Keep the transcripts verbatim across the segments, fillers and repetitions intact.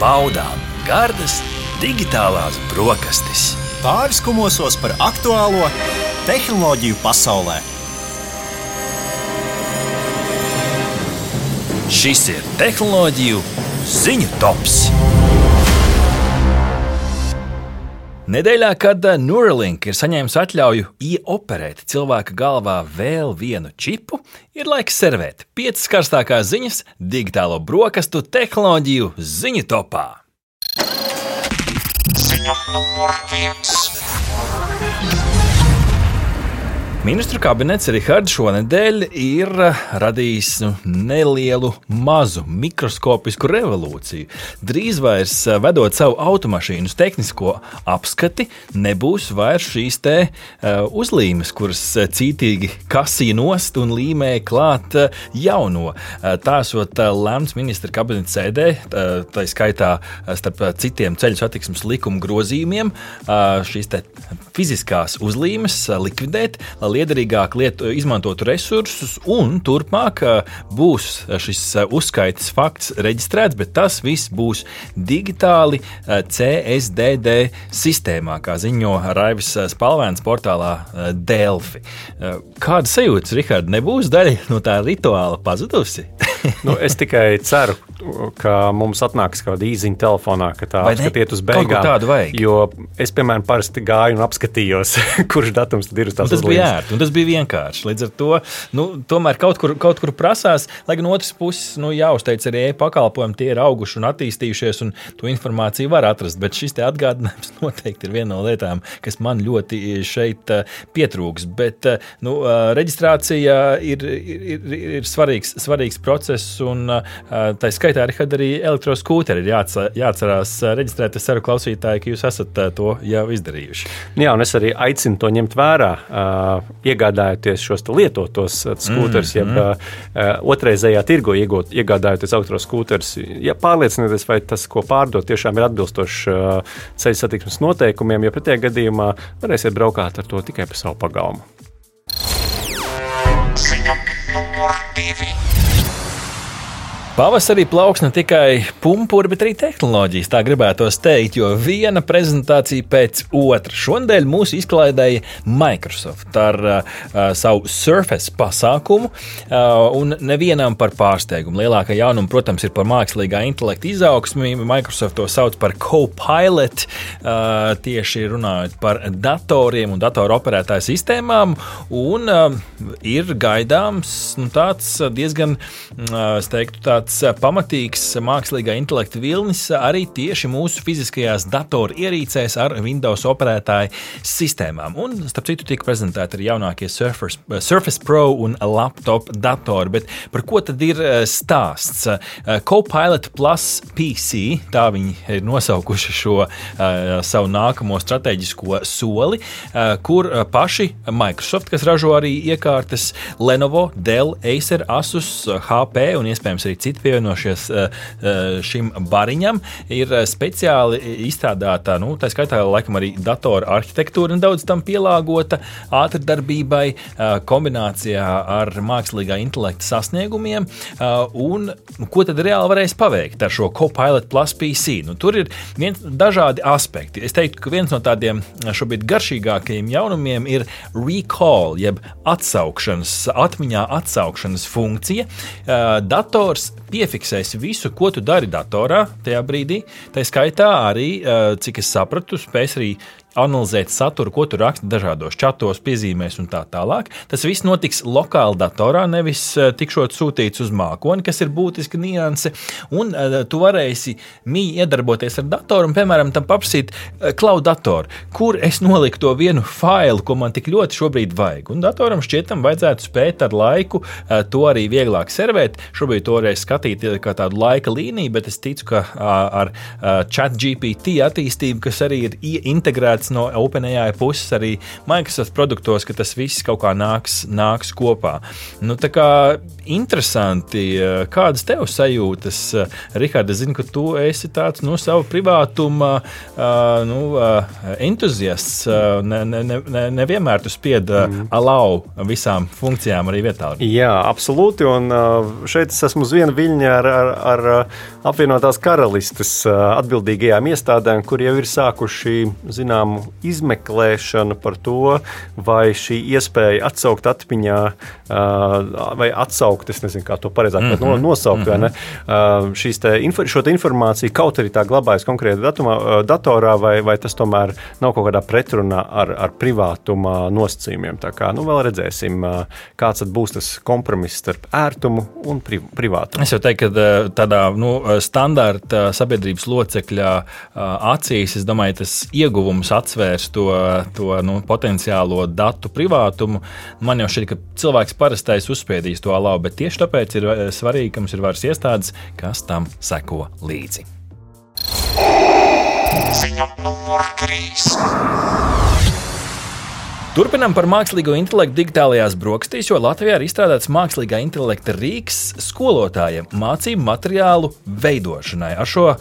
baudām gardas digitālās brokastis. Pāris kumosos par aktuālo tehnoloģiju pasaulē. Šis ir tehnoloģiju ziņu tops. Nedēļā, kad Neuralink ir saņēmis atļauju ieoperēt cilvēka galvā vēl vienu čipu, ir laiks servēt piecas karstākās ziņas digitālo brokastu tehnoloģiju ziņu topā. Ziņa numur viens. Ministru kabinets Rihards šonedēļ ir radījis nu, nelielu, mazu, mikroskopisku revolūciju. Drīz vairs vedot savu automašīnu uz tehnisko apskati, nebūs vairs šīs te uh, uzlīmes, kuras cītīgi kasīja nost un līmēja klāt uh, jauno. Uh, Tāsot uh, lemts ministra kabineta sēdē, uh, tā skaitā uh, starp uh, citiem ceļu satiksmes likuma grozījumiem, uh, šīs te fiziskās uzlīmes uh, likvidēt, liederīgāk lietu, izmantotu resursus, un turpmāk būs šis uzskaites fakts reģistrēts, bet tas viss būs digitāli C S D D sistēmā, kā ziņo Raivis Spalvēns portālā Delfi. Kāda sajūtas, Rihard, nebūs daļa no tā rituāla pazudusi? Nu, es tikai ceru, ka mums atnāks kāda īziņa telefonā, ka tā apskatiet uz beigām. Kaut ko tādu vajag. Jo es, piemēram, parasti gāju un apskatījos, kurš datums tad ir uz tās uzlīmes. Tas bija ērti, un tas bija vienkārši. Līdz ar to, nu, tomēr kaut kur, kaut kur prasās, lai gan otras puses, nu, jāuzteic arī e-pakalpojumi, tie ir auguši un attīstījušies, un to informāciju var atrast, bet šis te atgādinājums noteikti ir viena no lietām, kas man ļoti šeit pietrūks. Bet, nu, reģistrācija ir, ir, ir svarīgs, svarīgs process, un tā skaitā arī elektroskūteri ir jāatcerās reģistrēt. Es ceru, klausītāji, ka jūs esat to jau izdarījuši. Jā, un es arī aicinu to ņemt vērā, iegādājoties šos lietotos skūterus, mm, jeb mm. otrreizējā tirgo iegādājoties elektroskūterus. Ja pārliecinieties, vai tas, ko pārdot, tiešām ir atbilstošs ceļu satiksmes noteikumiem, jo pretējā gadījumā varēsiet braukāt ar to tikai pa savu pagalmu. Ziņa numur divi. Pavasarī plauks ne tikai pumpuri, bet arī tehnoloģijas, tā gribētos teikt, jo viena prezentācija pēc otras. Šonadēļ mūs izklaidēja Microsoft ar uh, savu Surface pasākumu, uh, un nevienam par pārsteigumu. Lielākā jaunuma, protams, ir par mākslīgā intelekta izaugsmi. Microsoft to sauc par Copilot, uh, tieši runājot par datoriem un datoru operētāju sistēmām, un uh, ir gaidāms nu, tāds diezgan, uh, es teiktu, tāds pamatīgs mākslīgā intelekta vilnis arī tieši mūsu fiziskajās datoru ierīcēs ar Windows operētāju sistēmām. Un, starp citu, tika prezentēti arī jaunākie Surface, Surface Pro un laptop datori. Bet par ko tad ir stāsts? Copilot Plus P C, tā viņi ir nosaukuši šo uh, savu nākamo strateģisko soli, uh, kur paši Microsoft, kas ražo arī iekārtas, Lenovo, Dell, Acer, Asus, H P un iespējams arī citi pievienošies šim bariņam, ir speciāli izstrādāta, nu, tā skaitā laikam arī datora arhitektūra nedaudz tam pielāgota ātrdarbībai, kombinācijā ar mākslīgā intelekta sasniegumiem, un ko tad reāli varēs paveikt ar šo Copilot Plus P C? Nu, tur ir viens, dažādi aspekti. Es teiktu, ka viens no tādiem šobrīd garšīgākajiem jaunumiem ir recall, jeb atsaukšanas, atmiņā atsaukšanas funkcija. Dators piefiksēs visu, ko tu dari datorā tajā brīdī. Tā skaitā arī, cik es sapratu, spēs arī analizēt saturu, ko tu raksti dažādos čatos, piezīmēs un tā tālāk. Tas viss notiks lokāli datorā, nevis tikšot sūtīts uz mākoni, kas ir būtiska nianse. Un uh, tu varēsi mīgi iedarboties ar datoru un, piemēram, tam paprasīt uh, cloud datoru, kur es noliku to vienu failu, ko man tik ļoti šobrīd vajag. Un datoram šķietam vajadzētu spēt ar laiku uh, to arī vieglāk servēt. Šobrīd to varēs skatīt kā tādu laika līniju, bet es ticu, ka uh, ar uh, ChatGPT attīstību, kas arī ir integrēta cerēts no OpenAI puses arī Microsoft produktos, ka tas viss kaut kā nāks, nāks kopā. Nu, tā kā interesanti, kādas tev sajūtas, Rihard, es zinu, ka tu esi tāds, nu, savu privātuma uh, nu, uh, entuziasts, uh, ne, ne, ne, nevienmēr tu spied uh, mm. alau visām funkcijām arī vietā. Jā, absolūti, un uh, šeit es esmu uz viena viļņa ar, ar, ar apvienotās karalistes uh, atbildīgajām iestādēm, kur jau ir sākuši, zināmu, izmeklēšanu par to, vai šī iespēja atsaukt atmiņā, uh, vai atsaukt, es nezinu, kā to pareizāk mm -hmm. nosaukt, mm -hmm. vai ne, uh, šīs te, infor, šo te informāciju kaut arī tā glabājas konkrēti datumā, uh, datorā, vai, vai tas tomēr nav kaut kādā pretrunā ar, ar privātuma nosacījumiem. Tā kā, nu, vēl redzēsim, uh, kāds tad būs tas kompromiss starp ērtumu un priv, privātumu. Es jau teiktu, ka tādā, nu, standarta sabiedrības locekļa acīs, es domāju, tas ieguvums atsvērs to, to nu, potenciālo datu privātumu. Man jau šķiet, ka cilvēks parastais uzspiedīs to alau, bet tieši tāpēc ir svarīgi, ka mums ir varas iestādes, kas tam seko līdzi. Ziņa numur trīs. Turpinām par mākslīgo intelektu digitālajās brokastīs, jo Latvijā ir izstrādāts mākslīgā intelekta rīks skolotājiem mācību materiālu veidošanai. Ar šo uh,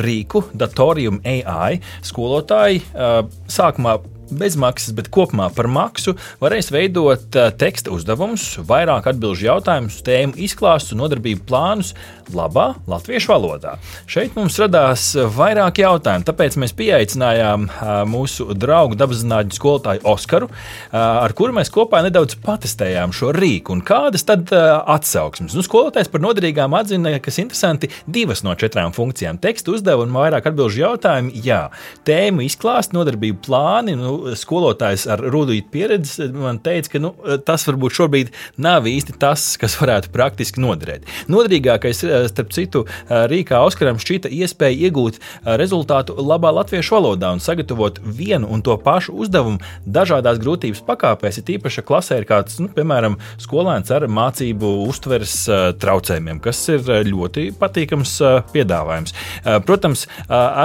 rīku, Datorium A I, skolotāji uh, sākumā bezmaksas, bet kopumā par maksu varēs veidot uh, teksta uzdevumus, vairāk atbilžu jautājumus, tēmu izklāstus un nodarbību plānus labā latviešu valodā. Šeit mums radās vairāk jautājumu, tāpēc mēs pieaicinājām uh, mūsu draugu dabaszinātņu skolotāju Oskaru, uh, ar kuru mēs kopā nedaudz patestējām šo rīku. Un kādas tad uh, atsauksmes? Nu, skolotājs par noderīgām atzina, kas interesanti, divas no četrām funkcijām. Teksta uzdevumi, vairāk atbilžu jautājumu, jā. Tēmu izklāst, nodarbību plāni, nu, skolotājs ar rudītu pieredzi man teica, ka nu, tas varbūt šobrīd nav īsti tas, kas varētu praktiski noderēt. Noderīgākais, starp citu, rīkā Oskaram šķita iespēja iegūt rezultātu labā latviešu valodā un sagatavot vienu un to pašu uzdevumu dažādās grūtības pakāpēs, ja tīpaši klasē ir kāds, nu, piemēram, skolēns ar mācību uztveres traucējumiem, kas ir ļoti patīkams piedāvājums. Protams,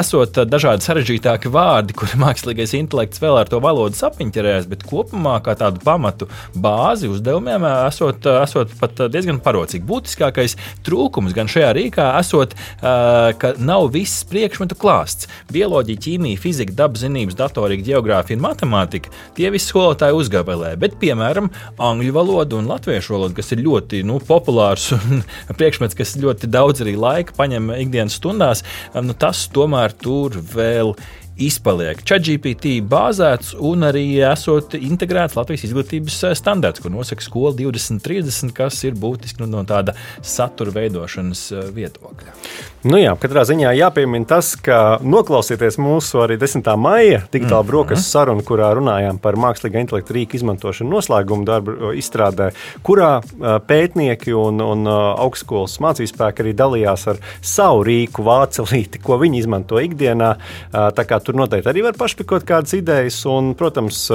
esot dažādi sarežģītāki vārdi, kuri mākslīgais intelekts vēl ar to valodu sapiņķerēs, bet kopumā kā tādu pamatu bāzi uzdevumiem esot, esot pat diezgan parocīgi. Būtiskākais trūkums gan šajā rīkā esot, ka nav viss priekšmetu klāsts. Bioloģija, ķīmija, fizika, dabaszinības, datorika, ģeogrāfija un matemātika, tie visi skolotāji uzgabelē, bet, piemēram, angļu valoda un latviešu valoda, kas ir ļoti, nu, populārs un priekšmets, kas ļoti daudz arī laika paņem ikdienas stundās, nu, tas tomēr tur vēl izpaliek. ChatGPT bāzēts un arī esot integrēts Latvijas izglītības standarts, ko nosaka skola divdesmit trīsdesmit, kas ir būtiski nu, no tāda satura veidošanas viedokļa. Nu jā, katrā ziņā jāpiemina tas, ka noklausieties mūsu arī desmitā maija digitāla brokastu mm. sarunu, kurā runājām par mākslīgā intelekta rīku izmantošanu noslēgumu darbu izstrādē, kurā pētnieki un, un augstskolas mācībspēki arī dalījās ar savu rīku vācelīti, ko viņi izmanto ikdienā. Tā kā tur noteikti arī var pašpikot kādas idejas, un, protams,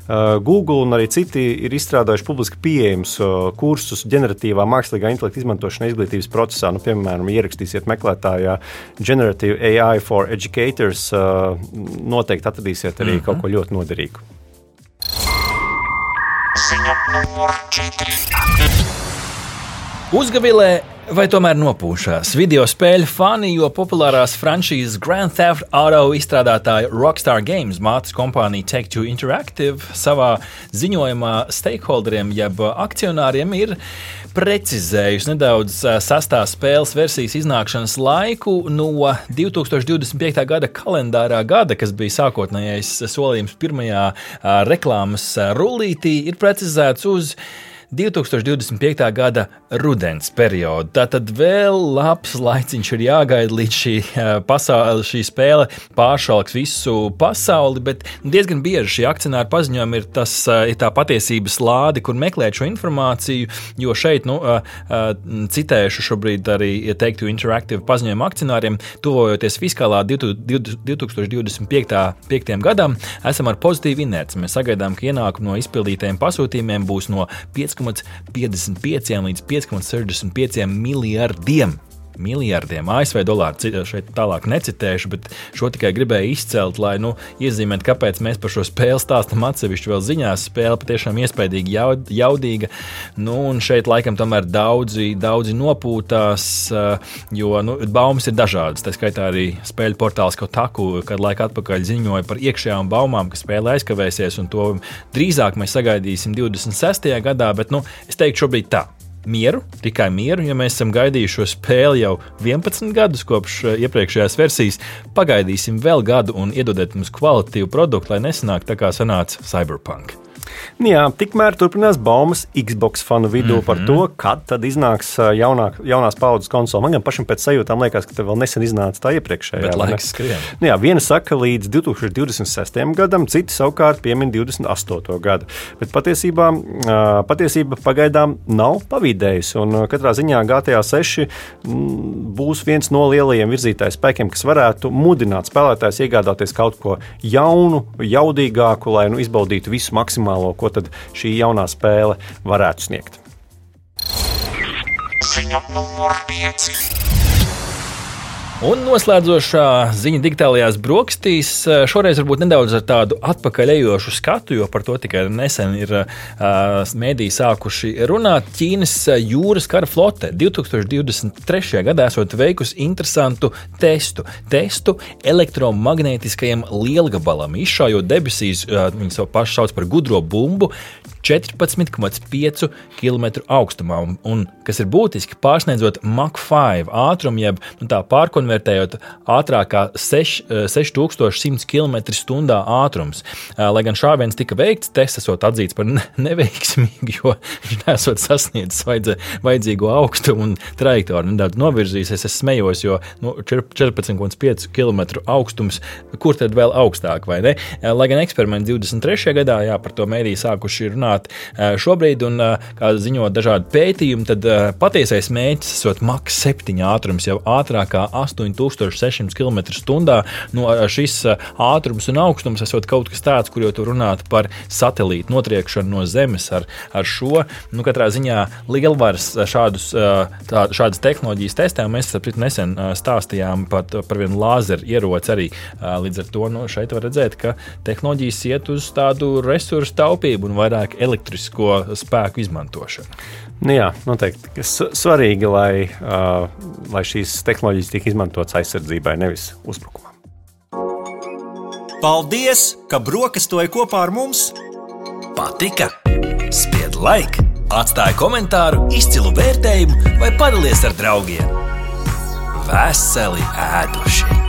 Google un arī citi ir izstrādājuši publiski pieejams kursus ģeneratīvā mākslīgā intelekta izmantošanā izglītības procesā. Nu, piemēram, ierakstīsiet meklētājā Generative A I for Educators, noteikti atradīsiet arī mm-hmm. kaut ko ļoti noderīgu. Ziņa numur četri. Uzgavilē vai tomēr nopūšās? Video spēļu fani, jo populārās franšīzes Grand Theft Auto izstrādātāja Rockstar Games mātes kompānija Take-Two Interactive savā ziņojumā stakeholderiem jeb akcionāriem ir precizējusi nedaudz sastās spēles versijas iznākšanas laiku no divi tūkstoši divdesmit piekta gada kalendārā gada, kas bija sākotnējais solījums pirmajā reklāmas rullītī, ir precizēts uz divi tūkstoši divdesmit piekta gada rudens periodu. Tātad vēl labs laiciņš ir jāgaida, līdz šī, pasauli, šī spēle pāršalks visu pasauli, bet diezgan bieži šī akcionāra paziņojumi ir, tas, ir tā patiesības lāde, kur meklēt šo informāciju, jo šeit, nu, citēšu šobrīd arī Take-Two Interactive paziņojumu akcionāriem, tuvojoties fiskālā divi tūkstoši divdesmit piektajam gadam, esam ar pozitīvu inerci. Mēs sagaidām, ka ienākumi no izpildītajiem pasūtījumiem būs no pieci komats piecdesmit pieci līdz pieci komats sešdesmit pieci miljardiem miljardiem A S V dolāru. Šeit tālāk necitēšu, bet šo tikai gribēju izcelt, lai nu, iezīmētu, kāpēc mēs par šo spēli stāstam atsevišķi vēl ziņās. Spēle patiešām iespaidīgi jaud, jaudīga. Nu, un šeit laikam tomēr daudzi, daudzi nopūtās, jo nu, baumas ir dažādas. Tā skaitā arī spēļu portāls Kotaku, kad laika atpakaļ ziņoja par iekšējām baumām, ka spēle aizkavēsies, un to drīzāk mēs sagaidīsim divdesmit sestajā gadā, bet nu, es teiktu šobrīd tā. Mieru, tikai mieru, ja mēs esam gaidījuši šo spēli jau vienpadsmit gadus kopš iepriekšējās versijas, pagaidīsim vēl gadu un iedodiet mums kvalitatīvu produktu, lai nesanāk tā kā sanāca Cyberpunk. Jā, tikmēr turpinās baumas Xbox fanu vidū mm-hmm. par to, kad tad iznāks jaunāk, jaunās paudzes konsole. Man gan pašam pēc sajūtām liekas, ka te vēl nesen iznāca tā iepriekšējā. Bet laiks skrien. Jā, viena saka līdz divtūkstoš divdesmit sestajam gadam, citi savukārt piemin divdesmit astoto gadu. Bet patiesībā, patiesība pagaidām nav pavīdējusi, un katrā ziņā G T A seši būs viens no lielajiem virzītāju spēkiem, kas varētu mudināt spēlētājs iegādāties kaut ko jaunu, jaudīgāku, lai nu, izbaudītu visu maksimālo, ko tad šī jaunā spēle varētu sniegt. Ziņa numur pieci. Un noslēdzošā ziņa digitālajās brokastīs šoreiz varbūt nedaudz ar tādu atpakaļejošu skatu, jo par to tikai nesen ir uh, mēdīji sākuši runāt. Ķīnas jūras kara flote divtūkstoš divdesmit trešajā gadā esot veikusi interesantu testu. Testu elektromagnētiskajam lielgabalam, izšaujot debesīs, uh, viņi savu pašu sauc par gudro bumbu, četrpadsmit komats pieci kilometru augstumā, un, un, kas ir būtiski, pārsniedzot Mach pieci ātrumu, jeb nu, tā pārkonvertējot ātrākā seši tūkstoši simts kilometru stundā ātrums. Lai gan šāviens tika veikts, tests esot atzīts par neveiksmīgu, jo viņš nesot sasniedzis vajadzīgo augstumu un trajektoru nedaudz novirzīsies. Es smējos, jo nu, četrpadsmit komats pieci kilometru augstums, kur tad vēl augstāk, vai ne? Lai gan eksperiments divdesmit trešajā gadā, jā, par to mēdī sākuši runāt šobrīd, un kā ziņo dažādi pētījumi, tad patiesais mērķis esot Mach septiņi ātrums, jau ātrākā astoņi tūkstoši seši simti kilometru stundā. Nu, šis ātrums un augstums esot kaut kas tāds, kur jau tu runāt par satelītu notriekšanu no Zemes ar, ar šo. Nu, katrā ziņā lielvaras šādus, tā, šādas tehnoloģijas testē, mēs saprit nesen stāstījām pat par vienu lāzeru ieroci arī. Līdz ar to nu, šeit var redzēt, ka tehnoloģijas iet uz tādu resursu taupību un vairāk elektrisko spēku izmantošanu. Nu jā, noteikti. Svarīgi, lai, uh, lai šīs tehnoloģijas tiek izmantotas aizsardzībai, nevis uzbrukumam. Paldies, ka brokastoji kopā ar mums! Patika? Spied like, atstāj komentāru, izcilu vērtējumu vai padalies ar draugiem. Veseli ēduši!